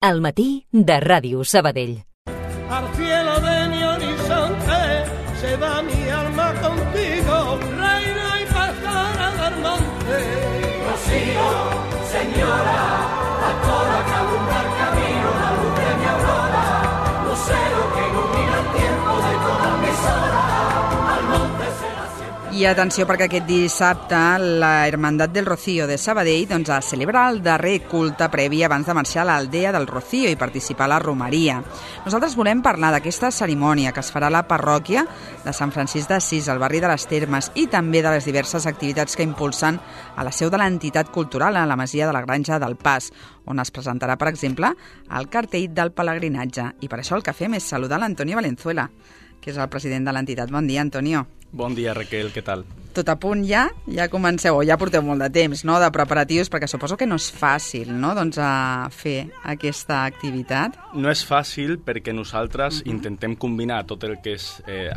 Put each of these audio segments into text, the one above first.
Al matí de Ràdio Sabadell. Al cielo de mi horizonte se va mi alma contigo, reina y pastora del monte. Rocío, señora, a toda que alumbra el camino, la luz de mi aurora, lucero que ilumina el tiempo de todas mis horas, al monte será siempre. I atenció, perquè aquest dissabte la Hermandad del Rocío de Sabadell celebra el darrer culte previ abans de marxar a l'aldea del Rocío i participar a la romeria. Nosaltres volem parlar d'aquesta cerimònia que es farà a la parròquia de Sant Francisc d'Assís, al barri de les Termes, i també de les diverses activitats que impulsen a la seu de l'entitat cultural a la masia de la Granja del Pas, on es presentarà, per exemple, el cartell del pelegrinatge. I per això el que fem és saludar l'Antonio Valenzuela, que és el president de l'entitat. Bon dia, Antonio. Bon dia, Raquel, què tal? Tot a punt ja? Ja comenceu, ja porteu molt de temps, no?, de preparatius, perquè suposo que no és fàcil, no?, doncs a fer aquesta activitat. No és fàcil perquè nosaltres intentem combinar tot el que és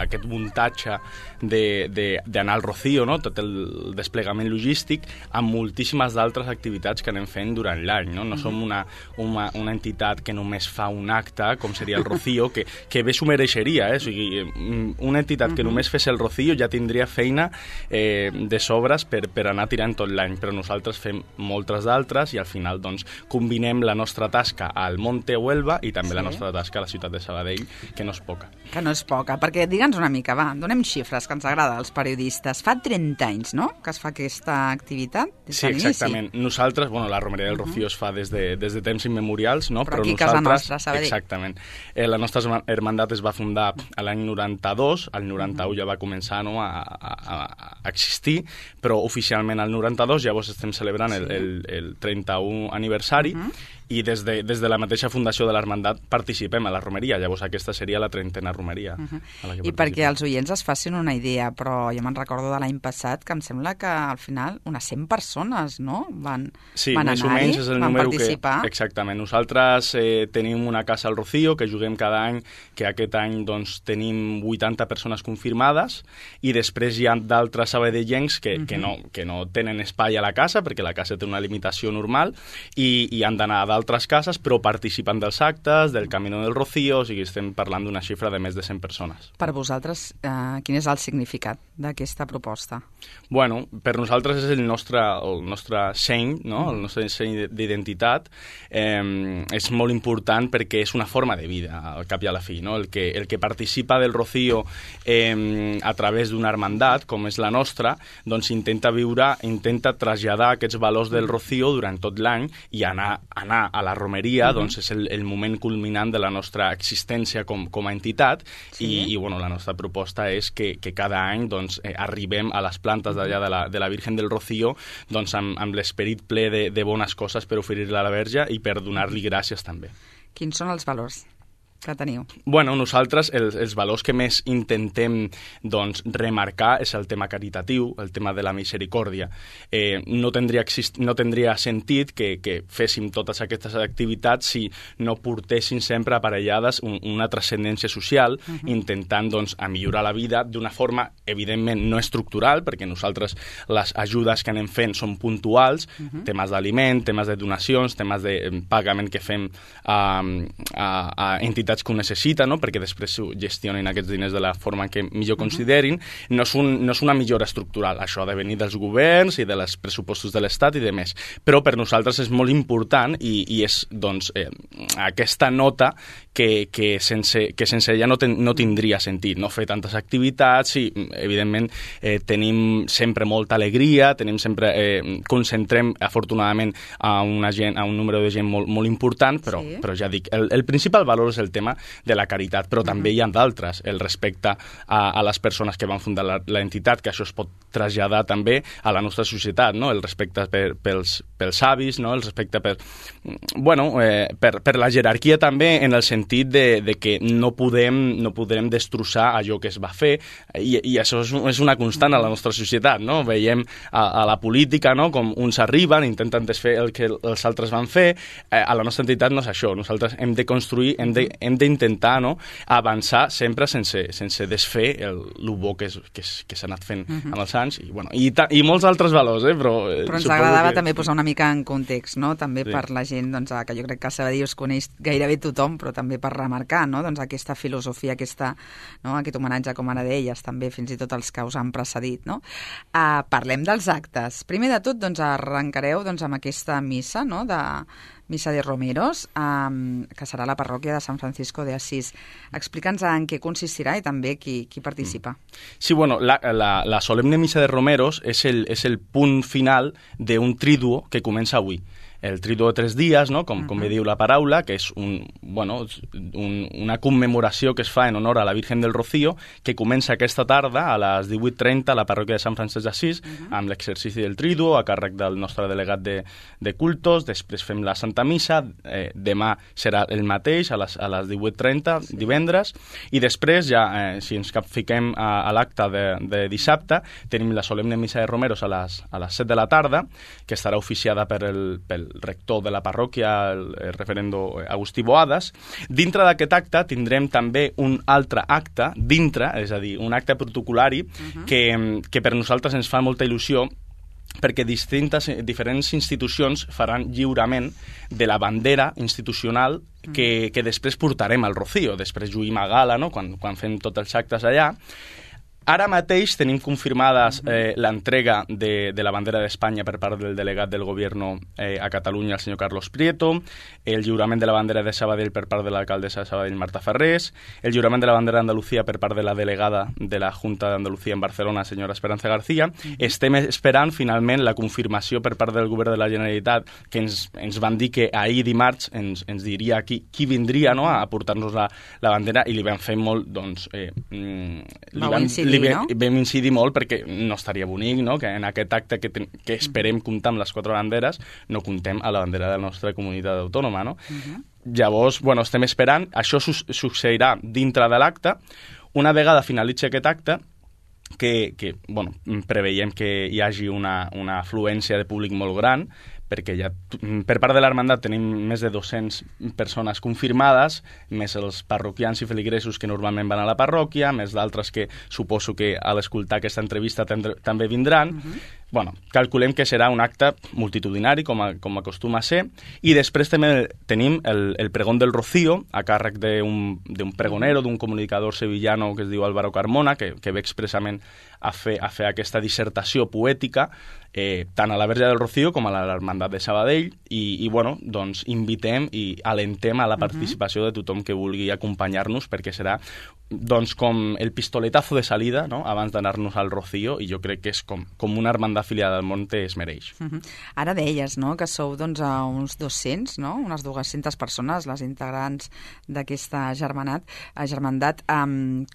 aquest muntatge d'anar al Rocío, no?, tot el desplegament logístic, amb moltíssimes d'altres activitats que anem fent durant l'any, no? No som una entitat que només fa un acte, com seria el Rocío, que bé s'ho mereixeria, O sigui, una entitat que només fes el Rocío ja tindria feina de sobres per anar tirant tot l'any, però nosaltres fem moltes d'altres i al final doncs combinem la nostra tasca al Monte Huelva i també la nostra tasca a la ciutat de Sabadell, que no és poca. Que no és poca, perquè digue'ns una mica, va, donem xifres que ens agrada als periodistes. Fa 30 anys, no?, que es fa aquesta activitat? Sí, exactament. Nosaltres, la romeria del Rocío es fa des de temps immemorials, no? Però aquí casa nostra, Sabadell. Exactament. La nostra hermandat es va fundar a l'any 92, al 91 ja va començar a existir, però oficialment al 92 llavors estem celebrant el 31 aniversari i des de la mateixa fundació de l'Hermandat participem a la romeria, llavors aquesta seria la 30a romeria. I perquè els oients es facin una idea, però jo me'n recordo de l'any passat que em sembla que al final unes 100 persones, no?, van anar-hi, van participar. Exactament. Nosaltres tenim una casa al Rocío que juguem cada any, que aquest any doncs tenim 80 persones confirmades i després hi ha d'altres sabadellencs que no tenen espai a la casa perquè la casa té una limitació normal i han d'anar a d'altres cases, però participen dels actes, del Camino del Rocío, o sigui, estem parlant d'una xifra de més de 100 persones. Per vosaltres, quin és el significat d'aquesta proposta? Bueno, per nosaltres és el nostre seny, no?, el nostre seny d'identitat. És molt important perquè és una forma de vida, al cap i a la fi, no? El que participa del Rocío a través d'una hermandat, com és la nostra, doncs intenta traslladar aquests valors del Rocío durant tot l'any i anar a la romeria, doncs és el moment culminant de la nostra existència com a entitat i la nostra proposta és que cada any doncs, arribem a les plantes d'allà de la Virgen del Rocío doncs, amb l'esperit ple de bones coses per oferir-la a la Verge i per donar-li gràcies també. Quins són els valors que teniu? Bueno, nosaltres els valors que més intentem doncs, remarcar és el tema caritatiu, el tema de la misericòrdia. No tindria sentit que féssim totes aquestes activitats si no portéssim sempre aparellades una transcendència social, intentant doncs, millorar la vida d'una forma, evidentment, no estructural, perquè nosaltres les ajudes que anem fent són puntuals, temes d'aliment, temes de donacions, temes de pagament que fem a entitats que ho necessiten, no?, perquè després gestionen aquests diners de la forma que millor considerin. No és una millora estructural, això ha de venir dels governs i dels pressupostos de l'Estat i de més. Però per nosaltres és molt important i és doncs, aquesta nota que sense ella no tindria sentit, no fer tantes activitats i, evidentment, tenim sempre molta alegria, concentrem, afortunadament, a un número de gent molt important, però ja dic, el principal valor és el tema de la caritat, però també hi ha d'altres, el respecte a les persones que van fundar l'entitat, que això es pot traslladar també a la nostra societat, no? El respecte pels avis, no? El respecte per la jerarquia també, en el sentit de que no podem destrossar allò que es va fer, i això és una constant a la nostra societat, no? Veiem a la política, no?, com uns arriben, intenten desfer el que els altres van fer. A la nostra entitat no és això, nosaltres hem de construir, hem hem d'intentar, no?, avançar sempre sense desfer el bo que s'ha anat fent amb els anys, i molts altres valors, però ens agradava també posar una mica en context, no?, també per la gent, doncs, que jo crec que a Sabadell us coneix gairebé tothom, però també per remarcar, no?, doncs aquesta filosofia, aquest homenatge, com ara deies, també fins i tot els que us han precedit, no? Parlem dels actes. Primer de tot, doncs, arrencareu amb aquesta missa, no?, de Missa de Romeros, que serà a la parròquia de Sant Francisco de Asís. Explica'ns en què consistirà i també qui participa. Sí, la solemne Missa de Romeros és el punt final d'un triduo que comença avui. El triduo de 3 dies, no?, com bé diu la paraula, que és una commemoració que es fa en honor a la Virgen del Rocío, que comença aquesta tarda a les 18:30 a la parròquia de Sant Francesc d'Assís, amb l'exercici del triduo a càrrec del nostre delegat de cultos. Després fem la Santa Missa, demà serà el mateix a les 18:30, divendres, i després ja, si ens capfiquem a l'acte de dissabte, tenim la solemne Missa de Romeros a les 7 de la tarda, que estarà oficiada pel rector de la parròquia, el referendo Agustí Boadas. Dintre d'aquest acte tindrem també un altre acte dintre, és a dir, un acte protocolari que per nosaltres ens fa molta il·lusió, perquè diferents institucions faran lliurament de la bandera institucional que després portarem al Rocío. Després lluïm a gala, no?, quan fem tots els actes allà. Ara mateix tenim confirmades l'entrega de la bandera d'Espanya per part del delegat del Govern a Catalunya, el senyor Carlos Prieto, el lliurament de la bandera de Sabadell per part de l'alcaldessa de Sabadell, Marta Ferrés, el lliurament de la bandera d'Andalucía per part de la delegada de la Junta d'Andalucía en Barcelona, senyora Esperanza García. Estem esperant finalment la confirmació per part del Govern de la Generalitat, que ens van dir que ahir dimarts ens diria qui vindria, no?, a portar-nos la bandera, i li vam fer molt, doncs... Vam incidir molt perquè no estaria bonic, no?, que en aquest acte que esperem comptar amb les 4 banderes no comptem a la bandera de la nostra comunitat autònoma, no? Llavors, estem esperant. Això succeirà dintre de l'acte. Una vegada finalitzi aquest acte, que preveiem que hi hagi una afluència de públic molt gran, perquè ja per part de l'Hermandat tenim més de 200 persones confirmades, més els parroquians i feligresos que normalment van a la parròquia, més d'altres que suposo que a l'escoltar aquesta entrevista també vindran. Calculem que serà un acte multitudinari, com acostuma a ser, i després també tenim el pregón del Rocío, a càrrec d'un pregonero, d'un comunicador sevillano que es diu Álvaro Carmona, que ve expressament a fer aquesta dissertació poètica, tant a la Verge del Rocío com a l'Hermandat de Sabadell, i invitem i alentem a la participació de tothom que vulgui acompanyar-nos, perquè serà com el pistoletazo de salida, no?, abans d'anar-nos al Rocío, i jo crec que és com una hermandat afiliada al Monte es mereix. Ara deies, no?, que sou a uns 200, no?, unes 200 persones, les integrants d'aquesta germandat.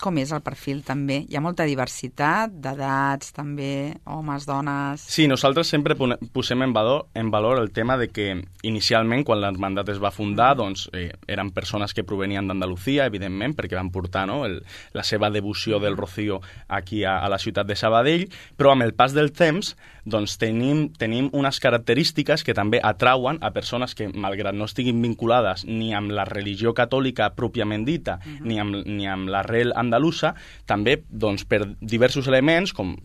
Com és el perfil també? Hi ha molta diversitat d'edats, també, homes, dones... Sí, nosaltres sempre posem en valor el tema de que inicialment, quan l'hermandat es va fundar, eren persones que provenien d'Andalucía, evidentment, perquè van portar, no?, la seva devoció del Rocío aquí a la ciutat de Sabadell, però amb el pas del temps tenim unes característiques que també atrauen a persones que, malgrat no estiguin vinculades ni amb la religió catòlica pròpiament dita, ni amb l'arrel andalusa, també per diversos elements, com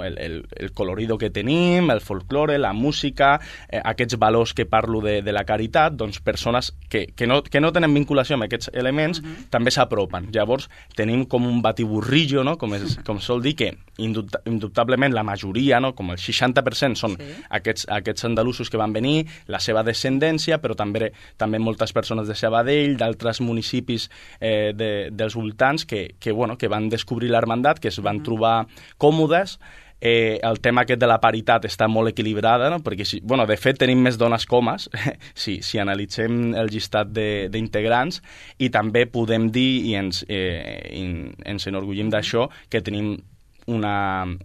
el colorido que tenim, el folklore, la música, aquests valors que parlo de la caritat, persones que no tenen vinculació amb aquests elements també s'apropen. Llavors tenim com un batiburrillo, no?, com sol dir, que indubtablement la majoria, no?, com el 60% són aquests andalusos que van venir, la seva descendència, però també moltes persones de Sabadell, d'altres municipis dels voltants que van descobrir l'hermandat, que es van trobar còmodes. El tema aquest de la paritat està molt equilibrada, no?, perquè, de fet, tenim més dones que homes, si analitzem el llistat d'integrants, i també podem dir, i ens enorgullim d'això, que tenim una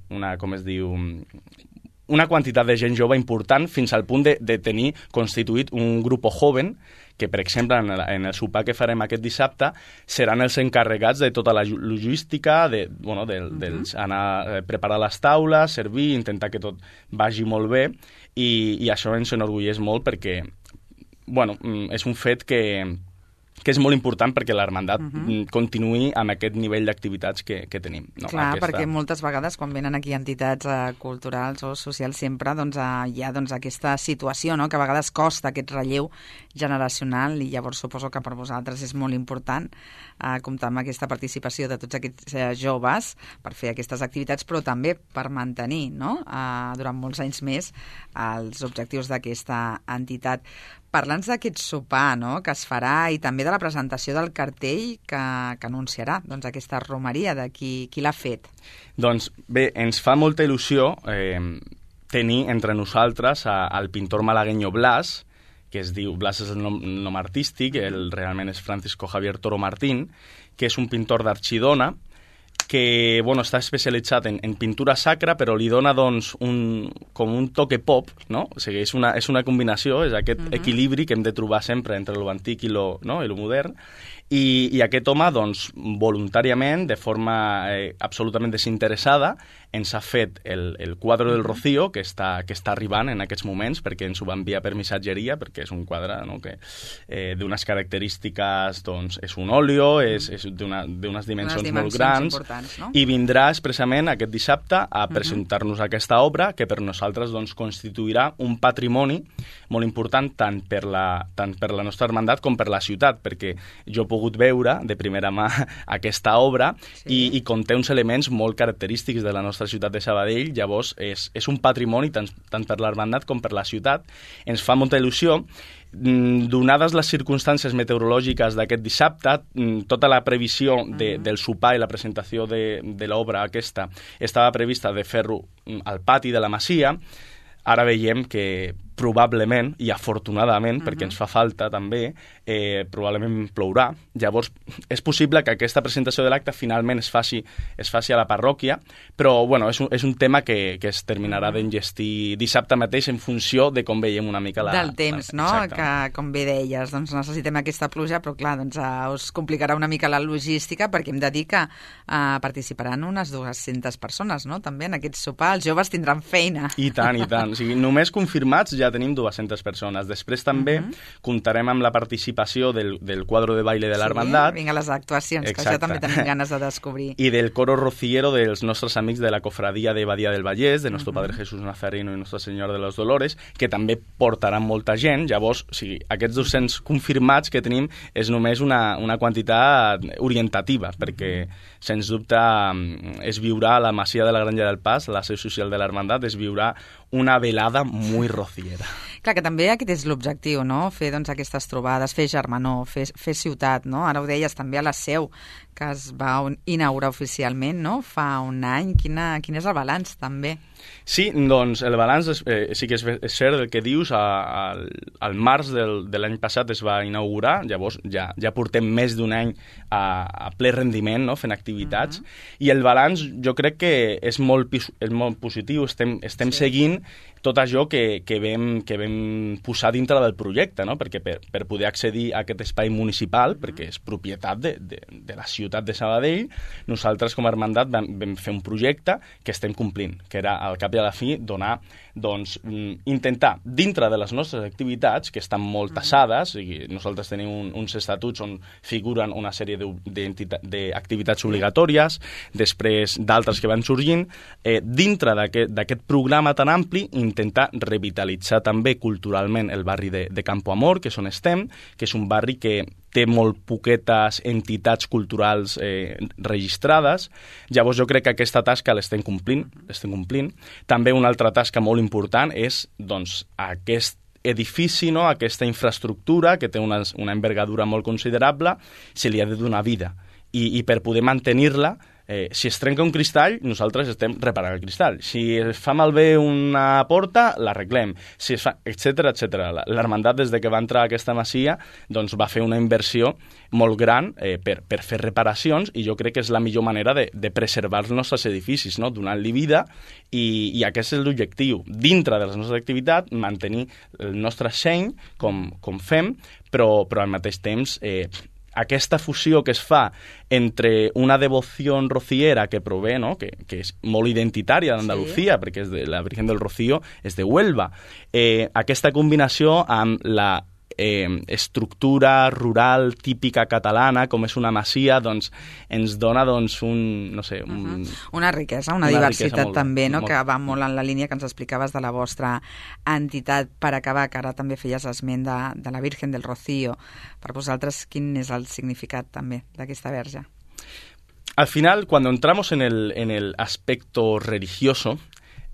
quantitat de gent jove important, fins al punt de tenir constituït un grup joven que, per exemple, en el sopar que farem aquest dissabte, seran els encarregats de tota la logística, anar a preparar les taules, servir, intentar que tot vagi molt bé, i això ens enorgulleix molt perquè és un fet que que és molt important perquè l'Hermandat continuï amb aquest nivell d'activitats que tenim. No? Clar, perquè moltes vegades quan venen aquí entitats culturals o socials sempre hi ha aquesta situació, no? Que a vegades costa aquest relleu generacional i llavors suposo que per vosaltres és molt important comptar amb aquesta participació de tots aquests joves per fer aquestes activitats, però també per mantenir, no? Durant molts anys més els objectius d'aquesta entitat. Parla'ns d'aquest sopar, no?, que es farà i també de la presentació del cartell que anunciarà aquesta romeria de qui l'ha fet. Doncs bé, ens fa molta il·lusió tenir entre nosaltres el pintor malagueño Blas, que es diu, Blas és el nom artístic, realment és Francisco Javier Toro Martín, que és un pintor d'Archidona, que està especialitzat en pintura sacra, però li dona com un toque pop, no? O sigui, és una combinació, és aquest equilibri que hem de trobar sempre entre lo antic i lo modern. I aquest home, voluntàriament, de forma absolutament desinteressada, ens ha fet el quadre del Rocío, que està arribant en aquests moments, perquè ens ho va enviar per missatgeria, perquè és un quadre, no?, que d'unes característiques, és un óleo, és d'unes dimensions molt grans, no? I vindrà expressament aquest dissabte a presentar-nos aquesta obra, que per nosaltres constituirà un patrimoni molt important tant per la nostra hermandat com per la ciutat, perquè jo he pogut veure de primera mà aquesta obra i conté uns elements molt característics de la nostra ciutat de Sabadell. Llavors és un patrimoni tant per l'hermandat com per la ciutat. Ens fa molta il·lusió. Donades les circumstàncies meteorològiques d'aquest dissabte, tota la previsió del sopar i la presentació de l'obra aquesta estava prevista de fer-ho al pati de la Masia. Ara veiem que probablement, i afortunadament, perquè ens fa falta també, probablement plourà. Llavors, és possible que aquesta presentació de l'acte finalment es faci a la parròquia, però és un tema que es terminarà d'enllestir dissabte mateix en funció de com veiem una mica del temps, no? Que, com bé deies, necessitem aquesta pluja, però clar, us complicarà una mica la logística, perquè hem de dir que participaran unes 200 persones, no?, també en aquest sopar. Els joves tindran feina. I tant, i tant. O sigui, només confirmats ja tenim 200 persones. Després també comptarem amb la participació del quadro de baile de l'Hermandat. Vinga, les actuacions, que això també tenim ganes de descobrir. I del coro rociero dels nostres amics de la cofradia de Badia del Vallès, de Nuestro Padre Jesús Nazareno i Nuestra Senyora de los Dolores, que també portaran molta gent. Llavors, aquests 200 confirmats que tenim és només una quantitat orientativa, perquè, sens dubte, es viurà a la Masia de la Granja del Pas, la seu social de l'Hermandat, es viurà una velada muy rociera. Clar, que també aquest és l'objectiu, no?, fer aquestes trobades, fer germanor, fer ciutat, no? Ara ho deies també a la seu, que es va inaugurar oficialment, no?, fa un any. Quin és el balanç, també? Sí, doncs el balanç sí que és cert el que dius. Al març de l'any passat es va inaugurar, llavors ja portem més d'un any a ple rendiment, no?, fent activitats, i el balanç jo crec que és molt positiu. Estem seguint tot això que vam posar dintre del projecte, no?, perquè per poder accedir a aquest espai municipal, perquè és propietat de la ciutat de Sabadell, nosaltres com a hermandat vam fer un projecte que estem complint, que era al cap i a la fi donar, intentar, dintre de les nostres activitats, que estan molt tassades, i nosaltres tenim uns estatuts on figuren una sèrie d'activitats obligatòries, després d'altres que van sorgint, dintre d'aquest programa tan ampli, intentar revitalitzar també culturalment el barri de Campo Amor, que és on estem, que és un barri que té molt poquetes entitats culturals registrades. Llavors jo crec que aquesta tasca l'estem complint. També una altra tasca molt important és aquest edifici, no?, aquesta infraestructura que té una envergadura molt considerable, se li ha de donar vida. I per poder mantenir-la, si es trenca un cristall, nosaltres estem reparant el cristall. Si es fa malbé una porta, l'arreglem, etcètera, etcètera. L'hermandat, des de que va entrar a aquesta masia, va fer una inversió molt gran per fer reparacions, i jo crec que és la millor manera de preservar els nostres edificis, no?, donant-li vida, i aquest és l'objectiu. Dintre de les nostres activitats, mantenir el nostre seny, com fem, però al mateix temps aquesta fusió que es fa entre una devoció rociera que prové, no?, que és molt identitària d'Andalucía, perquè la Virgen del Rocío és de Huelva, aquesta combinació amb estructura rural típica catalana, com és una masia, doncs ens dona doncs, una riquesa, una diversitat també, no? Que va molt en la línia que ens explicaves de la vostra entitat. Per acabar, que ara també feies esment de la Virgen del Rocío, per vosaltres quin és el significat també d'aquesta verge? Al final, cuando entramos en el aspecto religioso,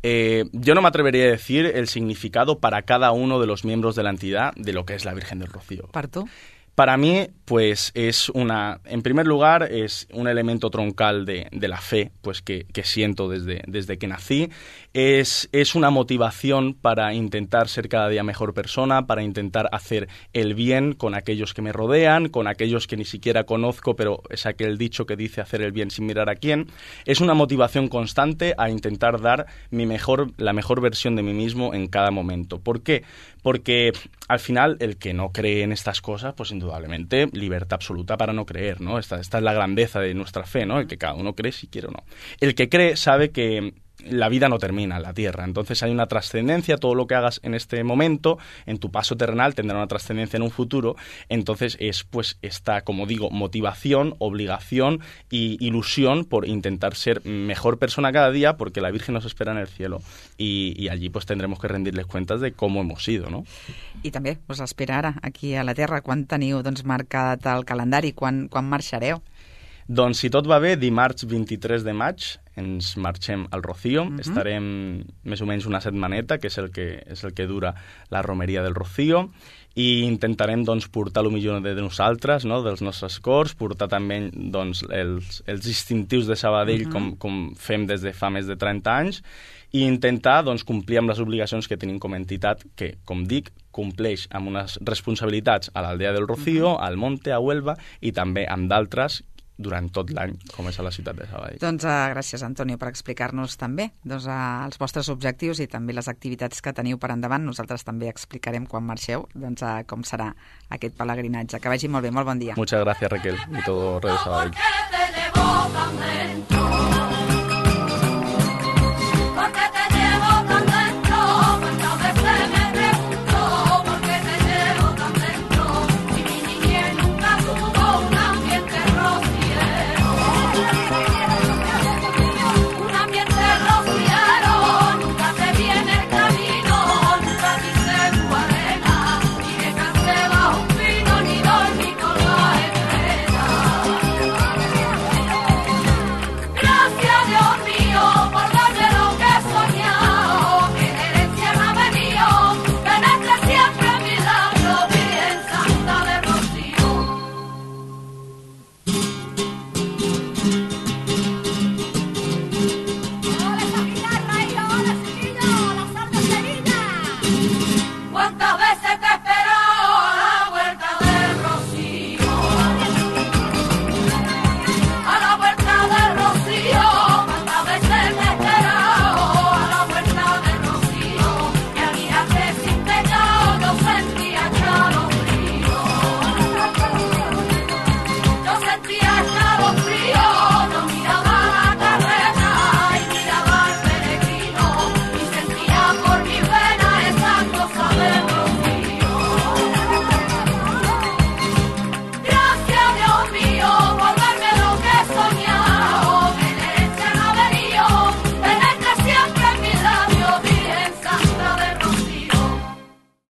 yo no me atrevería a decir el significado para cada uno de los miembros de la entidad de lo que es la Virgen del Rocío. ¿Para tú? Para mí, pues en primer lugar, es un elemento troncal de la fe, pues que siento desde que nací. Es una motivación para intentar ser cada día mejor persona, para intentar hacer el bien con aquellos que me rodean, con aquellos que ni siquiera conozco, pero es aquel dicho que dice hacer el bien sin mirar a quién. Es una motivación constante a intentar dar la mejor versión de mí mismo en cada momento. ¿Por qué? Porque al final el que no cree en estas cosas, pues indudablemente libertad absoluta para no creer, ¿no? Esta es la grandeza de nuestra fe, ¿no? El que cada uno cree si quiere o no. El que cree sabe que la vida no termina en la tierra, entonces hay una trascendencia, todo lo que hagas en este momento, en tu paso terrenal, tendrá una trascendencia en un futuro, entonces es pues esta, como digo, motivación, obligación y ilusión por intentar ser mejor persona cada día, porque la Virgen nos espera en el cielo y allí pues tendremos que rendirles cuentas de cómo hemos sido, no? I també us espera ara, aquí a la Terra, quan teniu marcat el calendari, quan marxareu? Doncs si tot va bé, dimarts 23 de maig ens marxem al Rocío. Estarem més o menys una setmaneta, que és el que dura la romeria del Rocío, i intentarem doncs, portar el millor de nosaltres, no? Dels nostres cors, portar també doncs, els distintius de Sabadell com fem des de fa més de 30 anys, i intentar doncs, complir amb les obligacions que tenim com a entitat, que, com dic, compleix amb unes responsabilitats a l'aldea del Rocío, al Monte, a Huelva, i també amb d'altres durant tot l'any, com és a la ciutat de Sabadell. Doncs gràcies, Antonio, per explicar-nos també els vostres objectius i també les activitats que teniu per endavant. Nosaltres també explicarem quan marxeu com serà aquest pelegrinatge. Que vagi molt bé, molt bon dia. Muchas gracias, Raquel, y todo Radio Sabadell.